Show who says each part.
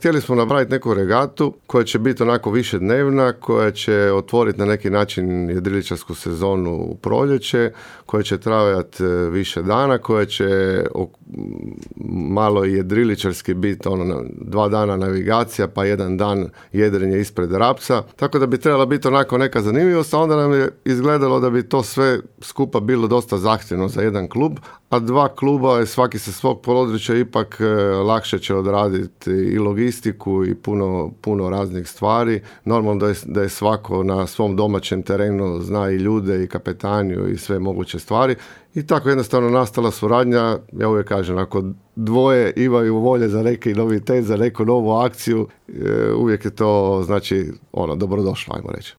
Speaker 1: Htjeli smo napraviti neku regatu koja će biti onako više dnevna, koja će otvoriti na neki način jedriličarsku sezonu u proljeće, koja će trajati više dana, koja će malo jedriličarski biti 2 dana navigacija, pa 1 dan jedrenje ispred Rapca. Tako da bi trebala biti onako neka zanimljivost, a onda nam je izgledalo da bi to sve skupa bilo dosta zahtjevno za jedan klub, a 2 kluba, svaki sa svog područja, ipak lakše će odraditi i logistiku i puno raznih stvari. Normalno da je svako na svom domaćem terenu zna i ljude i kapetaniju i sve moguće stvari. I tako jednostavno nastala suradnja. Ja uvijek kažem, ako dvoje imaju volje za neki novitet, za neku novu akciju, uvijek je to, znači, dobrodošlo, ajmo reći.